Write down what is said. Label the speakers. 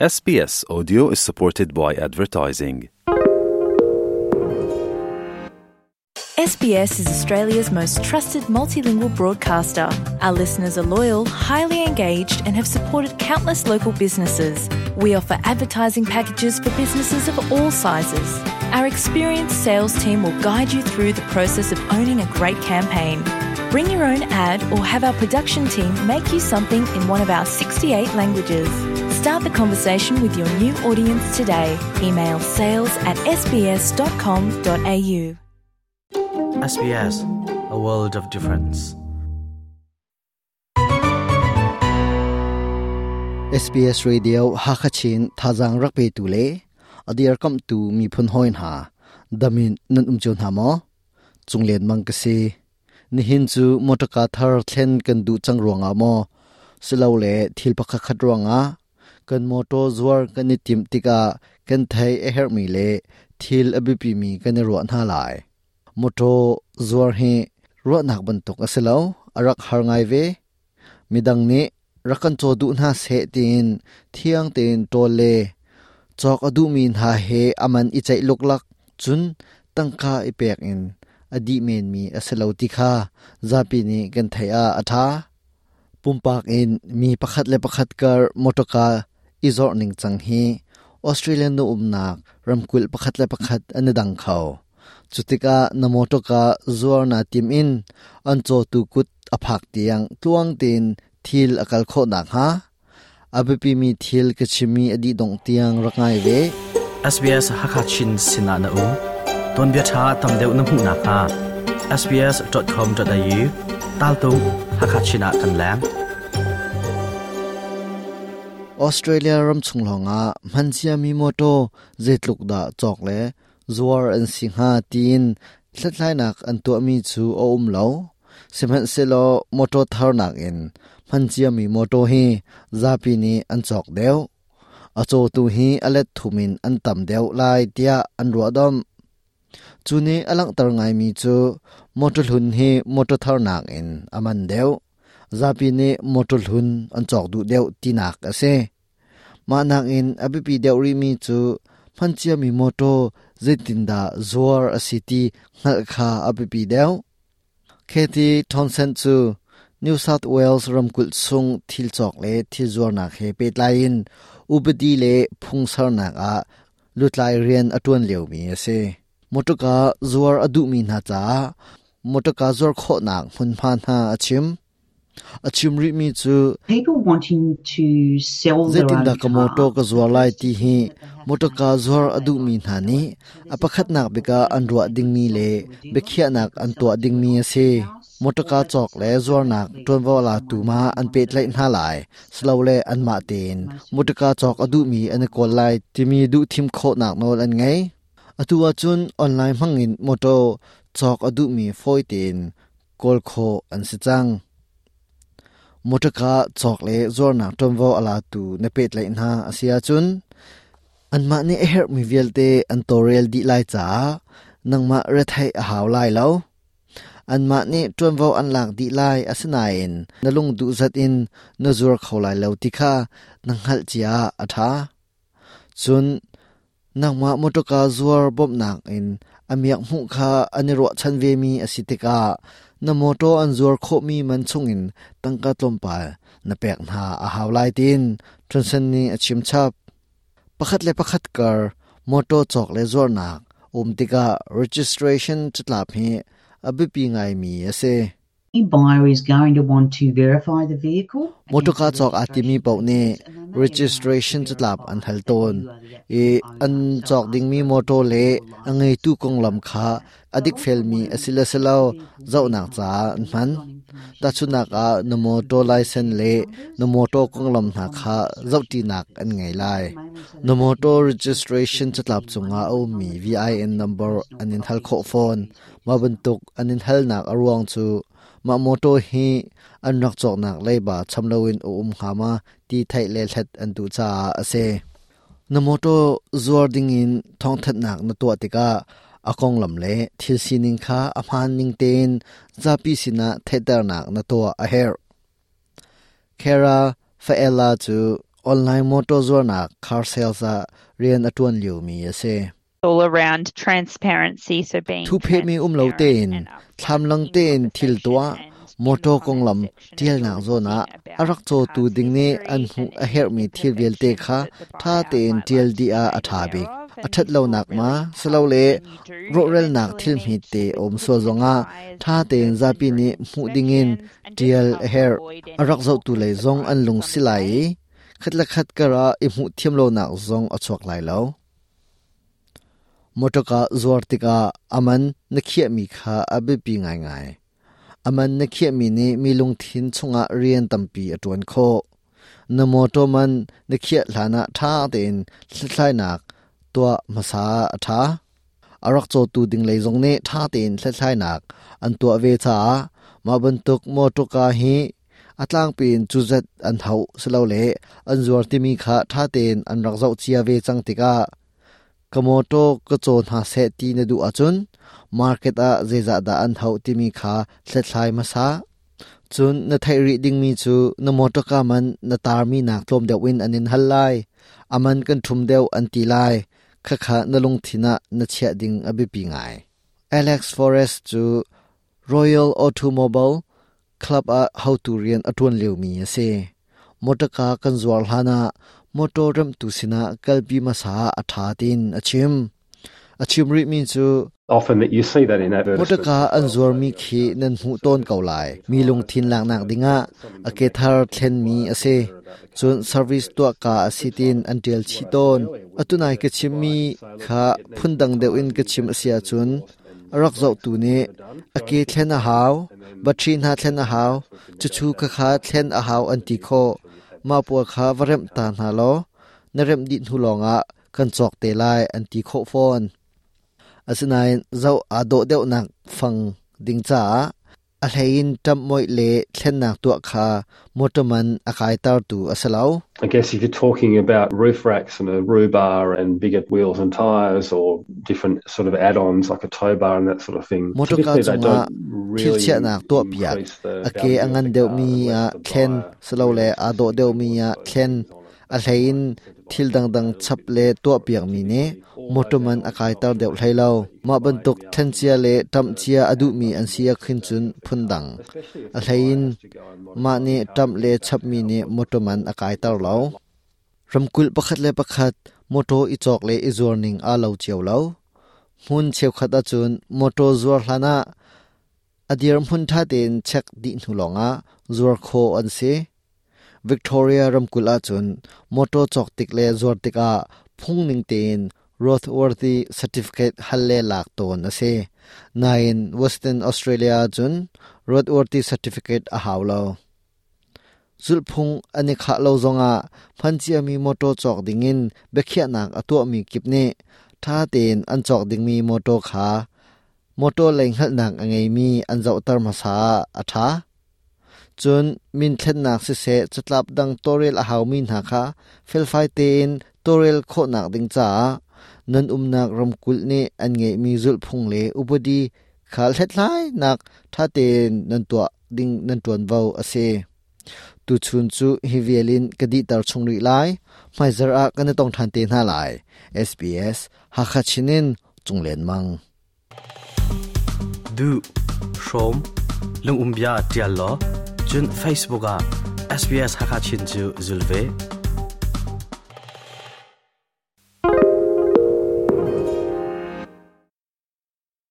Speaker 1: SBS Audio is supported by advertising.
Speaker 2: SBS is Australia's most trusted multilingual broadcaster. Our listeners are loyal, highly engaged, and have supported countless local businesses. We offer advertising packages for businesses of all sizes. Our experienced sales team will guide you through the process of owning a great campaign. Bring your own ad or have our production team make you something in one of our 68 languages. Start the conversation with your new audience today. Email sales at sbs.com.au.
Speaker 3: SBS, a world of difference.
Speaker 4: SBS Radio Hakachin thazang rak pe tu le adir kam tu mi phun hoin ha damin nan um chun ha mo chunglen mang ka si Nihin cu mawṭaka thar thlen kan duh cang ruangah maw, silole thil pakhatkhat ruangah kan mawṭaw zuar kan i timh tikah kan theih a herhmi le thil a biapimi kan i ruah hna lai. Mawṭaw zuar hi ruahnak bantuk a si lo, a rak har ngai ve. Midang nih rak kan caw duh hna seh tiin thiang tein ṭawl le cawk a duhmi hna he a man i ceih luklak cun tangka i pek in a dih menmi a si lo ti kha zapi nih kan theih ah a ṭha. Pumpak in mi pakhat le pakhat kar mawṭawka i zorh ningcang hi Australia nu umnak ramkulh pakhat le pakhat an i dang kho. Cutikah na mawṭawka zuar naa tim in an cawtu kut a phak tiang tluang tein thil a kal khawh nakhnga a biapimi thil ka chimmi a dih dongh tiang rak ngai ve.
Speaker 3: SBS Hakha Chin sinah na um. Tuanbia ṭha tam deuh na hmuh nakhnga sbs.com.au taltung Hakha Chin ah kan leng.
Speaker 4: Australia ram chung lawngah hmanciami mawṭaw zeitluk dah cawk le zuar an si hnga tiin hlathlainak an tuahmi cu a um lo. Sihmanhsehlaw mawṭaw thar nakin hman ciami mawṭaw hi zapi nih an cawk deuh. A cawtu hi a let thum in an tam deuh lai tiah an ruahdomh. Cu nih a langhter ngaimi cu mawṭaw hlun hi mawṭaw thar nakin a man deuh. Zapi nih mawṭaw hlun an cawk duh deuh tinak a si. Mah nakin a biapi deuh rihmi cu hmanciami mawṭaw zeitindah zuar a si ti hngalh kha a biapi deuh. Kathy Townsend cu New South Wales ramkulh chung thil cawk le thil zuarnak he pehtlai in upadi le phung sernak ah lutlai rian a ṭuan liomi a si. Mawṭawka zuar a duhmi hna caah mawṭawka zuar khawhnak hmunhma hna a chim. A chim rihmi cu zeitindah ka mawṭaw ka zuar lai ti hi mawṭawka zuar a duhmi hna nih a pakhatnak bik ah an ruah dingmi le biakhiahnak an tuah dingmi a si. Mawṭawka cawk le zuarnak ṭuanvo latu ma an pehtlaih hna lai, silole anmah tein mawṭawka cawk a duhmi an i kawl lai timi duhthim khawhnak nawl an ngei. Atu ahcun online hmangin mawṭaw cawk a duhmi fawi tein kawl khawh an si cang. Mawṭaka cawk le zuarnak ṭuanvo a latu na pehtlaih hna a si ahcun anmah nih a herhmi vialte an tawlrel dih lai caah nangmah retheih a hau lai lo. Anmah nih ṭuanvo an lak dih lai asinain na lung duh zat in na zuar kho lai lo ti kha na hngalh cia ah a ṭha. Cun Nangmah mawṭawka zuar bawmhnak in a miak hmuh kha an i ruahchan vemi a si tikah na mawṭaw an zuar khawhmi man chungin tangka tlawmpal na pek hna a hau lai tiin Johnson nih a chimchap. Pakhat le pakhat kar mawṭaw cawk le zuarnak um tikah registration catlap hi a biapi ngaimi a si. Mawṭawka cawk aa timi paoh nih registration catlap an hal tawn i an cawk dingmi mawṭaw le a ngeitu konglam kha a dikfelmi a si le si lo zohnak caah an hman. Tahchunhnak ah na mawṭaw license le na mawṭaw konglam hna kha zohṭinak an ngei lai. Na mawṭaw registration catlap cungah a ummi VIN number an in hal khawh fawn. Mah bantuk an in halnak a ruang cu mah mawṭaw hi an rak cawknak leiba cham loin a um hnga ma ti theih le hlat an duh caah a si. Na mawṭaw zuar dingin thawngthanhnak na tuah tikah a konglam le thil sining kha a hmaan ning tein zapi sinah theihternak na tuah a herh. Kara Faella cu Online motor zuarnak car sales ah rian a ṭuan liomi a si.
Speaker 5: All around transparency, so being
Speaker 4: Thuphehmi um lo tein, thlamlang tein thil tuah, motor konglam ṭialnak zawn ah a rak cawtu ding nih an hmuh a herhmi thil vialte kha ṭha tein ṭial dih ah a ṭha bik. A ṭhat lonak ma, silole rawhralnak thil hmete a um sual zongah ṭha tein zapi nih hmuh dingin ṭial a herh. A rak zohtu lei zong an lung si lai i khat le khat karah i hmuh thiam lonak zong a chuak lai lo. Mawṭawka zuar tikah a man na khiahmi kha a biapi ngaingai. A man na khiahmi nih mi lungthin chungah rian tampi a ṭuan khawh. Na mawṭaw man na khiah hlanah ṭha tein hlathlainak tuah hmasa a ṭha. A rak cawtu ding lei zong nih ṭha tein hlathlainak an tuah ve caah mah bantuk mawṭawka hi a tlangpi in cuzat an hauh silole an zuar timi kha ṭha tein an rak zoh cia ve cang tikah ka mawṭaw ka caw hna seh ti na duh ahcun market ah zeizah dah an hauh timi kha hlathlai hmasa. Cun na theih rih dingmi cu na mawṭawka man na tarmi nak tlawm deuh in an in hal lai. A man kan ṭhum deuh an ti lai. Khakha na lungthin ah na chiah ding a biapi ngai. Alex Forrest cu Royal Automobile Club ah hotu rian a ṭuan liomi a si. Motorka kan zuar hlanah motor remhtu sinah kalpi hmasa ah a ṭha tiin a chim. A chim rihmi cu
Speaker 6: Often that you see that in advertisements.
Speaker 4: Motorka an zuarmi khi nan hmuh tawn ko lai. Mi lungthin laknak dingah a ke thar thlenmi a si. Cun service tuahka a si tiin an ṭial chih tawn. Atunai ka chimmi kha phundang deuh in ka chim a si ahcun a rak zohtu nih a ke thlen a hau, battery hna thlen a hau, cucu khakha thlen a hau an ti khawh. Mah pawl kha va remh ta hna law na remh dih hnu lawngah kan cawk te lai an ti khawh fawn. Asinain zoh aa dawh deuhnak fang ding caah A hleiin ṭamhmoih le thlennak tuah kha motor man a kaitertu a si lo.
Speaker 6: I guess if you're talking about roof racks and a roof bar and bigger wheels and tires or different sort of add-ons like a tow bar and that sort of thing,
Speaker 4: Motorka
Speaker 6: typically they
Speaker 4: cungah
Speaker 6: don't
Speaker 4: thil
Speaker 6: really
Speaker 4: chiahnak tuahpiak,
Speaker 6: increase the
Speaker 4: a ke
Speaker 6: value
Speaker 4: a
Speaker 6: of
Speaker 4: ngan
Speaker 6: the car
Speaker 4: deuhmi
Speaker 6: unless
Speaker 4: ah
Speaker 6: the
Speaker 4: thlen
Speaker 6: buyer
Speaker 4: silole
Speaker 6: really
Speaker 4: aa dawh
Speaker 6: specifically
Speaker 4: deuhmi
Speaker 6: wants
Speaker 4: ah
Speaker 6: those
Speaker 4: thlen,
Speaker 6: things on it.
Speaker 4: a hleiin thil dangdang chap le tuahpiakmi nih mawṭaw man a kaiter deuh hlei lo. Mah bantuk thlencia le ṭamhcia a duhmi an si ahkhin cun phundang. A hleiin mah nih ṭamh le chapmi nih mawṭaw man a kaiter lo. Ramkulh pakhat le pakhat mawṭaw i cawk le i zuar ning aa lo cio lo. Hmun cheukhat ahcun mawṭaw zuar hlanah a dirhmun ṭha tein check dih hnu lawngah zuar khawh an si. Victoria ramkulh ahcun mawṭaw cawk tik le zuar tikah phungning tein roadworthy certificate hal le lak tawn a si. Nain Western Australia ahcun roadworthy certificate a hau lo. Zulhphung an i khah lo zongah hman ciami mawṭaw cawk dingin biakhiahnak a tuahmi kip nih ṭha tein an cawk dingmi mawṭaw kha mawṭaw lei hngalhnak a ngeimi an zohter hmasa ah a ṭha. Cun min thlennak siseh catlap dang tawlrel a haumi hna kha felfai tein tawlrel khawhnak ding caah nan umnak ramkulh nih an ngeihmi zulhphung le upadi kha hlethlainak ṭha tein nan tuah ding nan ṭuanvo a si. Tuchun cu hi vial in ka dihter chung rih lai. Hmaizarh ah kan i tong ṭhan te hna lai. SBS Hakha Chin in Cunglen Mang.
Speaker 3: Duh, hrawm, lungumbia ṭial law, cun Facebook ah SBS Hakha Chin cu zul ve.